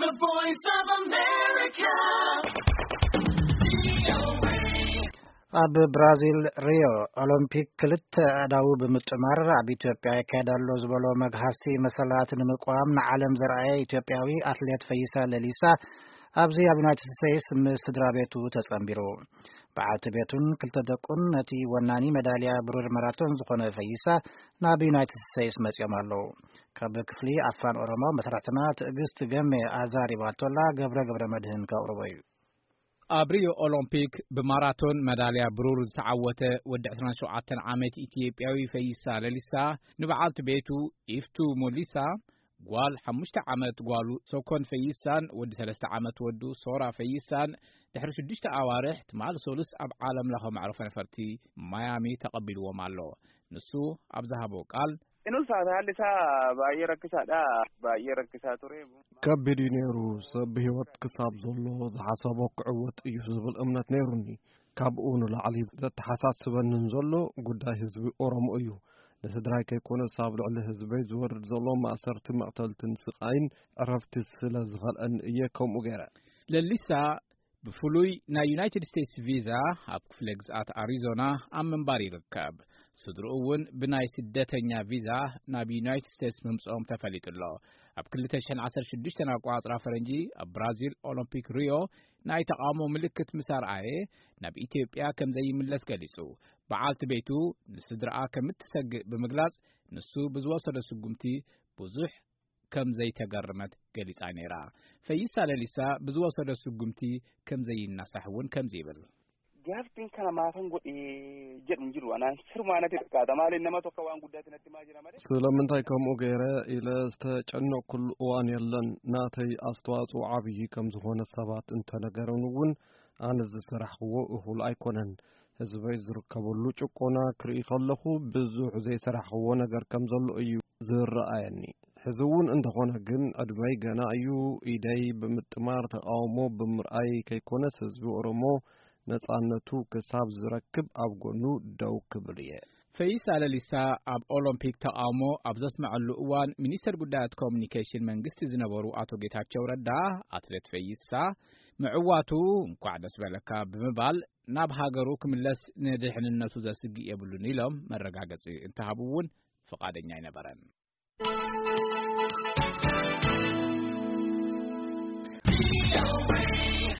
The Voice of America. ኣብ ብራዚል ሪዮ ኦሎምፒክ ክልተ ኣእዳው ብምጥማር ኣብ ኢትዮጵያ ይካየድ ኣሎ ዝበሎ መግሃስቲ መሰላት ንምቋም ንዓለም ዘርኣየ ኢትዮጵያዊ ኣትሌት ፈይሳ ለሊሳ ኣብዚ ኣብ ዩናይትድ ስቴትስ ምስ ስድራ ቤቱ ተጸንቢሩ። በዓልቲ ቤቱን ክልተ ደቁን ነቲ ወናኒ መዳልያ ብሩር ማራቶን ዝኾነ ፈይሳ ናብ ዩናይትድ ስቴትስ መጺኦም ኣለዉ። ካብ ክፍሊ ኣፋን ኦሮሞ መስራትና ትዕግስት ገሜ ኣዛሪባቶላ፣ ገብረ ገብረ መድህን ከቕርቦ እዩ። ኣብ ሪዮ ኦሎምፒክ ብማራቶን መዳልያ ብሩር ዝተዓወተ ወዲ ዕስራን ሸውዓተን ዓመት ኢትዮጵያዊ ፈይሳ ለሊሳ ንበዓልቲ ቤቱ ኢፍቱ ሞሊሳ፣ ጓል ሓሙሽተ ዓመት ጓሉ ሶኮን ፈይሳን ወዲ ሰለስተ ዓመት ወዱ ሶራ ፈይሳን ድሕሪ ሽዱሽተ ኣዋርሕ ትማል ሶሉስ ኣብ ዓለም ለኸ መዕረፎ ነፈርቲ ማያሚ ተቐቢልዎም ኣሎ። ንሱ ኣብ ዝሃቦ ቃል፣ Inul taate haalli isaa baay'ee rakkisaadha. Baay'ee rakkisaa ture. ከቢድ እዩ ነይሩ። ሰብ ብህይወት ክሳብ ዘሎ ዝሓሰቦ ክዕወት እዩ ዝብል እምነት ነይሩኒ። ካብኡ ንላዕሊ ዘተሓሳስበንን ዘሎ ጉዳይ ህዝቢ ኦሮሞ እዩ። ንስድራይ ከይኮነስ ኣብ ልዕሊ ህዝበይ ዝወርድ ዘሎ ማእሰርቲ፣ መቕተልትን ስቓይን ዕረፍቲ ስለ ዝኸልአኒ እየ ከምኡ ገይረ። ለሊሳ ብፍሉይ ናይ ዩናይትድ ስቴትስ ቪዛ ኣብ ክፍለ ግዝኣት ኣሪዞና ኣብ ምንባር ይርከብ። ስድርኡ እውን ብናይ ስደተኛ ቪዛ ናብ ዩናይትድ ስቴትስ ምምፅኦም ተፈሊጡ ኣሎ። ኣብ ክልተ ሽሕን ዓሰርተ ሽዱሽተን ኣቋፅራ ፈረንጂ ኣብ ብራዚል ኦሎምፒክ ሪዮ ናይ ተቓውሞ ምልክት ምስ ኣርኣየ ናብ ኢትዮጵያ ከም ዘይምለስ ገሊጹ። በዓልቲ ቤቱ ንስድራኣ ከም እትሰግእ ብምግላጽ ንሱ ብዝወሰዶ ስጉምቲ ብዙሕ ከም ዘይተገረመት ገሊጻ ነይራ። ፈይሳ ለሊሳ ብዝወሰዶ ስጉምቲ ከም ዘይናሳሕ እውን ከምዚ ይብል። Gaaffiin kana maafan godhe jedhu hin jiru. Anaan sirmaa natti fakkaata. Maaliin nama tokko waan guddaatti natti himaa jira malee. ስለምንታይ ከምኡ ገይረ ኢለ ዝተጨነቕኩሉ እዋን የለን። ናተይ ኣስተዋፅኦ ዓብዪ ከም ዝኾነ ሰባት እንተነገረን እውን ኣነ ዝሰራሕክዎ እኹል ኣይኮነን። ህዝበይ ዝርከበሉ ጭቆና ክርኢ ከለኹ ብዙሕ ዘይሰራሕክዎ ነገር ከም ዘሎ እዩ ዝረኣየኒ። ሕዚ እውን እንተኾነ ግን ዕድመይ ገና እዩ። ኢደይ ብምጥማር ተቓውሞ ብምርኣይ ከይኮነስ ህዝቢ ኦሮሞ ነጻነቱ ክሳብ ዝረክብ ኣብ ጎኑ ደው ክብል እየ። ፈይሳ ለሊሳ ኣብ ኦሎምፒክ ተቓውሞ ኣብ ዘስመዐሉ እዋን ሚኒስተር ጉዳያት ኮሙኒኬሽን መንግስቲ ዝነበሩ ኣቶ ጌታቸው ረዳ ኣትሌት ፈይሳ ምዕዋቱ እንኳዕ ደስ በለካ ብምባል ናብ ሃገሩ ክምለስ ንድሕንነቱ ዘስግእ የብሉን ኢሎም መረጋገጺ እንተሃቡ እውን ፍቓደኛ ኣይነበረን።